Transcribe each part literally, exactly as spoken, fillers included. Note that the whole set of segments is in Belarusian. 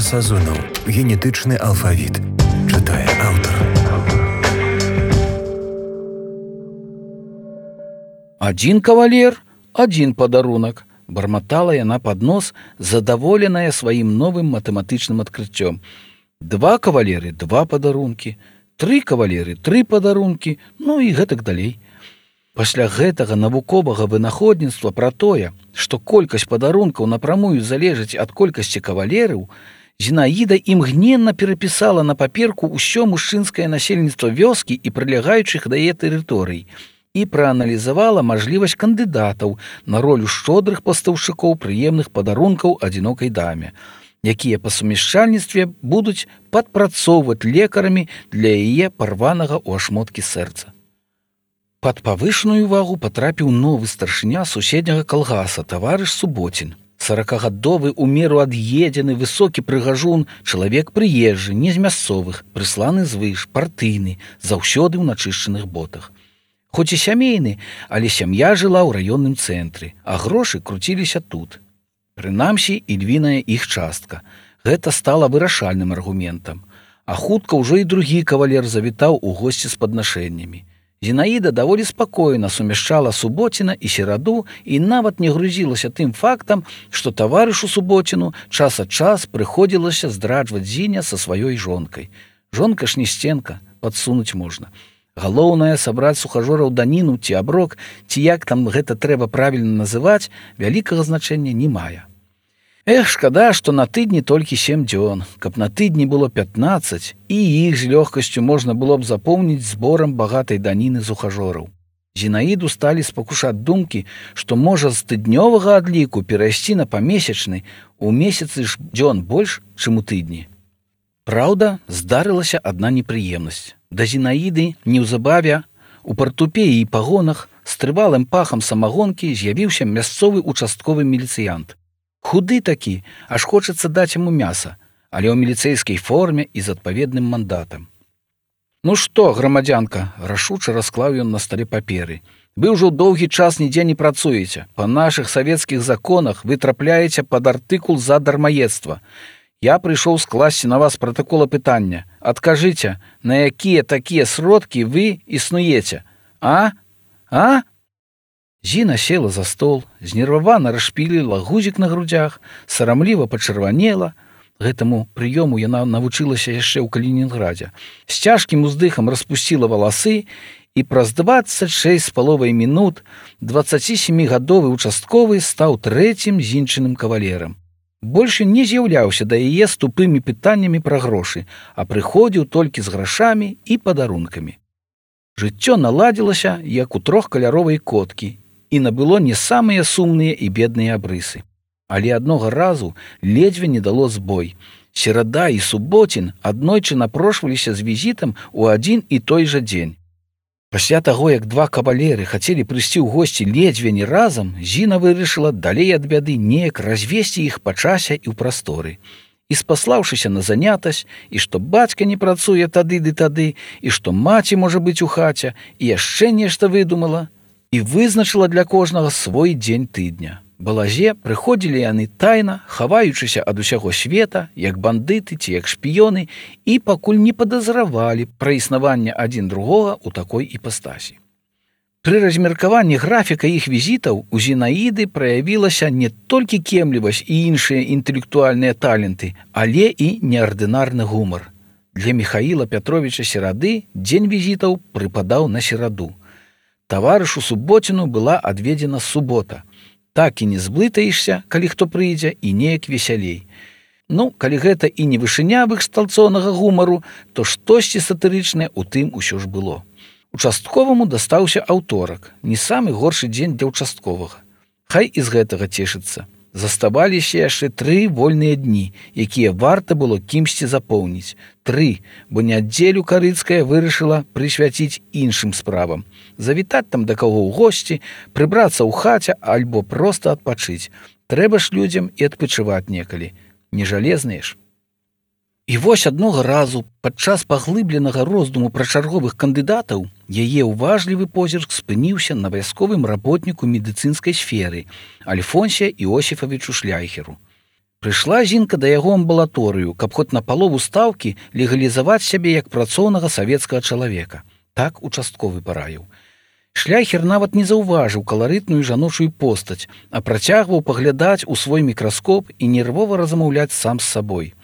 Сазонаў. Генетычны алфавіт. Чытае аўтар. Адзін кавалер, адзін падарунак. Барматала яна пад нос, задаволеная сваім новым матэматычным адкрыццём. Два кавалеры, два падарункі. Тры кавалеры, тры падарункі, ну і гэтак далей. Пасля гэтага навуковага вынаходніцтва пра тое, што колькасць падарункаў напрамую залежыць ад колькасці кавалераў, Зінаіда імгненна перапісала на паперку ўсё мужчынскае насельніцтва вёскі і прылягаючых да яе тэрыторый і прааналізавала мажлівасць кандыдатаў на ролю шчодрых пастаўшчыкоў прыемных падарункаў адзінокай даме, якія па сумяшчальніцтве будуць падпрацоўваць лекарамі для яе парванага ў ашмоткі сэрца. Пад павышаную увагу патрапіў новы старшыня суседняга калгаса, таварыш Суботін. Саракагадовы ў меру ад'едзены, высокі прыгажун, чалавек прыезджы, не з мясцовых, прысланы звыш, партыйны, заўсёды ў начышчаных ботах. Хоць і сямейны, але сям'я жыла ў раённым цэнтры, а грошы круціліся тут. Прынамсі, і львіная іх частка. Гэта стала вырашальным аргументам. А хутка ўжо і другі кавалер завітаў у госці з паднашэннямі. Зінаіда даволі спакойна сумяшчала Суботіна і сераду і нават не грузілася тым фактам, што таварышу Суботіну час ад час прыходзілася здраджваць Зіня са сваёй жонкай. Жонка ж не сценка, падсунуць можна. Галоўнае сабраць сухажораў даніну ці аброк, ці як там гэта трэба правільна называць, вялікага значэння не мае. Эх, шкада, што на тыдні толькі сем дзён, каб на тыдні было пятнаццаць, і іх з лёгкасцю можна было б запоўніць зборам багатай даніны з ухажораў. Зінаіду сталі спакушаць думкі, што можа з тыднёвага адліку перайсці на памесячны, у месяцы ж дзён больш, чым у тыдні. Праўда, здарылася адна непрыемнасць. Да Зінаіды неўзабаве у партупеі і пагонах з трывалым пахам самагонкі з'явіўся мясцовы участковы міліцыянт. Худы такі, аж хочацца даць яму мяса, але ў міліцэйскай форме і з адпаведным мандатам. «Ну што, грамадзянка», – рашуча расклаў ён на стале паперы, «вы ўжо доўгі час нідзе не працуеце. Па нашых савецкіх законах вы трапляеце пад артыкул за дармаедства. Я прыйшоў скласці на вас пратакол апытання. Адкажыце, на якія такія сродкі вы існуеце? А? А?» Зіна села за стол, знервавана расшпіліла гузік на грудзях, сарамліва пачырванела. Гэтаму прыёму яна навучылася яшчэ ў Калінінградзе. З цяжкім уздыхам распусціла валасы і праз дваццаць шэсць з паловай мінут дваццацісемігадовы участковы стаў трэцім зінчаным кавалерам. Больш не з'яўляўся да яе з тупымі пытаннямі пра грошы, а прыходзіў толькі з грашамі і падарункамі. Жыццё наладзілася, як у трохкаляровай коткі, і набыло не самыя сумныя і бедныя абрысы. Але аднога разу ледзьве не дало збой. Серада і Суботін аднойчы напрошваліся з візітам у адзін і той жа дзень. Пасля таго, як два кавалеры хацелі прыйсці ў госці ледзьве не разам, Зіна вырашыла далей ад бяды неяк развесці іх па часе і ў прасторы. І спаслаўшыся на занятасць, і што бацька не працуе тады ды тады, і што маці можа быць у хаце, і яшчэ нешта выдумала, і вызначыла для кожнага свой дзень тыдня. Балазе прыходзілі яны тайна, хаваючыся ад усяго света, як бандыты ці як шпіёны, і пакуль не падазравалі пра існаванне адзін другога ў такой іпастасі. Пры размеркаванні графіка іх візітаў у Зінаіды праявілася не толькі кемлівасць і іншыя інтэлектуальныя таленты, але і неардынарны гумар. Для Міхаіла Пятровіча Серады дзень візітаў прыпадаў на сераду. Таварышу Суботіну была адведзена субота. Так і не зблытаешся, калі хто прыйдзе, і неяк весялей. Ну, калі гэта і не вышыня выкшталцонага гумару, то штосьці сатырычнае ў тым усё ж было. Участковаму дастаўся аўторак, не самы горшы дзень для участковага. Хай і з гэтага цешыцца. Заставаліся яшчэ тры вольныя дні, якія варта было кімсьці запоўніць. Тры, бо нядзелю Карыцкая вырашыла прысвяціць іншым справам. Завітаць там да каго ў госці, прыбрацца ў хаце альбо проста адпачыць. Трэба ж людзям і адпачываць некалі. Не жалезныя ж. І вось аднога разу, падчас паглыбленага роздуму пра чарговых кандыдатаў, яе ўважлівы позірк спыніўся на вайсковым работніку медыцынскай сферы Альфонсе Іосіфавічу Шляйхеру. Прыйшла Зінка да яго амбулаторыю, каб хоць на палову стаўкі легалізаваць сябе як працоўнага савецкага чалавека. Так участковы параіў. Шляхер нават не заўважыў каларытную жаночую постаць, а працягваў паглядаць у свой мікраскоп і нервова размаўляць сам з сабой.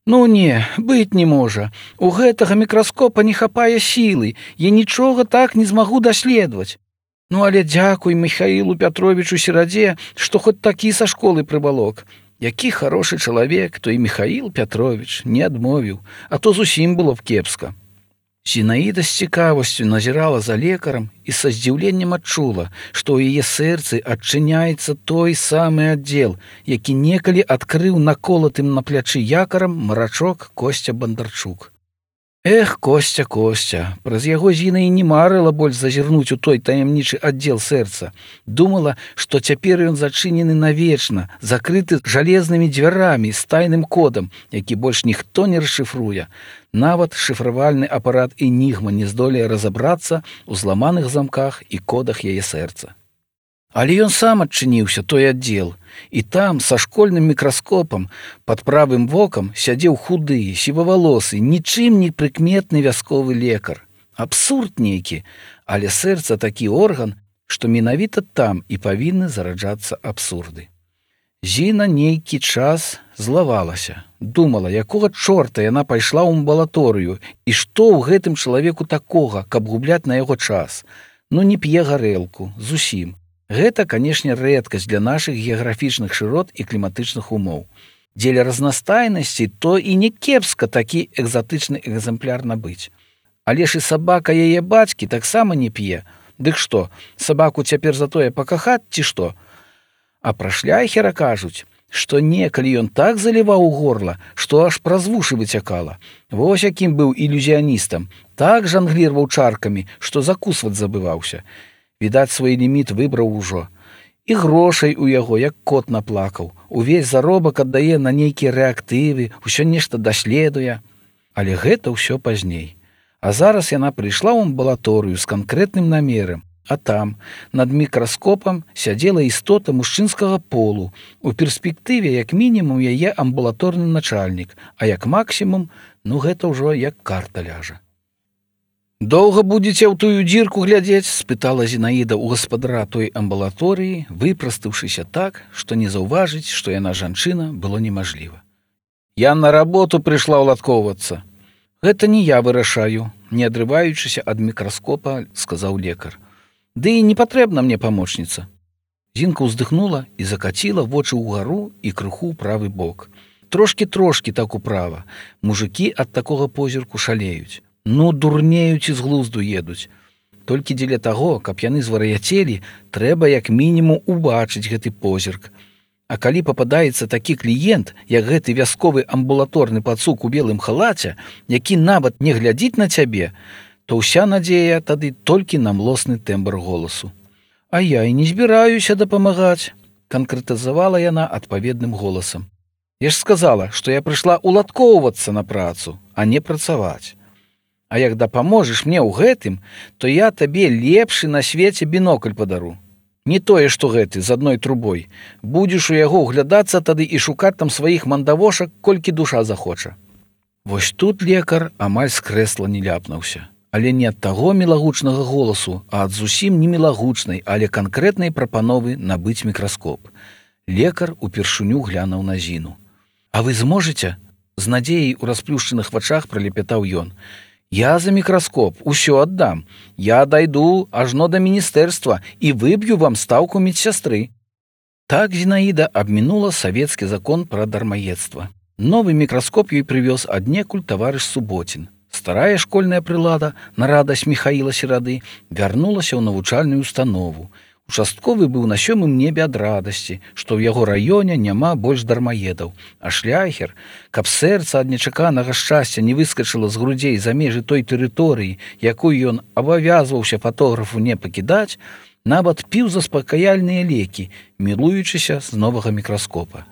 Ну не, быць не можа. У гэтага мікраскопа не хапае сілы, я нічога так не змагу даследаваць. Ну але дзякуй Міхаілу Пятровічу Серадзе, што хоць такі са школы прывалок. Які хорошы чалавек, то і Міхаіл Пятровіч не адмовіў, а то зусім было б кепска. Зінаіда з цікавасцю назірала за лекарам і са здзіўленнем адчула, што ў яе сэрцы адчыняецца той самы аддзел, які некалі адкрыў наколатым на плячы якарам марачок Костя Бандарчук. Эх, Костя, Костя, праз яго Зіна і не марыла больш зазірнуць у той таямнічы аддзел сэрца. Думала, што цяпер ён зачынены навечна, закрыты жалезнымі дзвярамі з тайным кодам, які больш ніхто не расшыфруе. Нават шыфравальны апарат «Энігма» не здолее разабрацца ў зламаных замках і кодах яе сэрца. Але ён сам адчыніўся той аддзел, і там, са школьным мікраскопам, пад правым вокам сядзеў худы, сівавалосы, нічым не прыкметны вясковы лекар. Абсурд нейкі, але сэрца такі орган, што менавіта там і павінны зараджацца абсурды. Зіна нейкі час злавалася, думала, якога чорта яна пайшла ў амбулаторыю і што ў гэтым чалавеку такога, каб губляць на яго час. Ну не п'е гарэлку, зусім. Гэта, канешне, рэдкасць для нашых геаграфічных шырот і кліматычных умоў. Дзеля разнастайнасці то і не кепска такі экзатычны экземпляр набыць. Але ж і сабака яе бацькі таксама не п'е. Дык што, сабаку цяпер затое пакахаць ці што? А пра шляхера кажуць, што некалі ён так заліваў у горла, што аж праз вушы выцякала. Вось якім быў ілюзіяністам, так жанглірваў чаркамі, што закусваць забываўся. Відаць, свой ліміт выбраў ужо. І грошай у яго, як кот наплакаў. Увесь заробак аддае на нейкія рэактывы, усё нешта даследуе. Але гэта ўсё пазней. А зараз яна прыйшла ў амбулаторыю з канкрэтным намерам, а там, над мікраскопам, сядзела істота мужчынскага полу. У перспектыве, як мінімум, яе амбулаторны начальнік, а як максімум, ну гэта ўжо як карта ляжа. «Доўга будзеце ў тую дзірку глядзець?» – спытала Зінаіда ў гаспадара той амбулаторыі, выпрастыўшыся так, што не заўважыць, што яна жанчына, было немажліва. «Я на работу прыйшла ўладкоўвацца». «Гэта не я вырашаю», – не адрываючыся ад мікраскопа, сказаў лекар. «Ды і не патрэбна мне памочніца». Зінка ўздыхнула і закаціла вочы ўгару і крыху ў правы бок. Трошкі-трошкі так управа. Мужыкі ад такога позірку шалеюць. Ну, дурнеюць і з глузду едуць. Толькі дзеля таго, каб яны звар'яцелі, трэба як мінімум убачыць гэты позірк. А калі пападаецца такі кліент, як гэты вясковы амбулаторны пацук у белым халаце, які нават не глядзіць на цябе, то ўся надзея тады толькі на млосны тэмбр голасу. «А я і не збіраюся дапамагаць», – канкрэтызавала яна адпаведным голасам. «Я ж сказала, што я прыйшла ўладкоўвацца на працу, а не працаваць. А як дапаможаш мне ў гэтым, то я табе лепшы на свеце бінокль падару. Не тое, што гэты, з адной трубой. Будзеш у яго ўглядацца тады і шукаць там сваіх мандавошак, колькі душа захоча». Вось тут лекар амаль з крэсла не ляпнуўся. Але не ад таго мілагучнага голасу, а ад зусім не мілагучнай, але канкрэтнай прапановы набыць мікраскоп. Лекар упершыню глянуў на Зіну. «А вы зможаце?» – з надзеяй у расплюшчаных вачах пралепятаў ён. «Я за мікраскоп, усё аддам. Я дайду ажно да міністэрства і выб'ю вам стаўку медсястры». Так Зінаіда абмінула савецкі закон пра дармаедства. Новы мікраскоп ёй прывёз аднекуль таварыш Суботін. Старая школьная прылада, на радасць Міхаіла Серады, вярнулася ў навучальную установу. Участковы быў на сёмым небе ад радасці, што ў яго раёне няма больш дармаедаў, а шляхер, каб сэрца ад нечаканага шчасця не выскачыла з грудзей за межы той тэрыторыі, якую ён абавязваўся фотографу не пакідаць, нават піў заспакаяльныя лекі, мілуючыся з новага мікраскопа.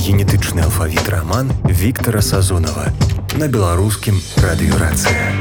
Генетычны алфавіт раман Віктара Сазонава на беларускім радыёрацыі.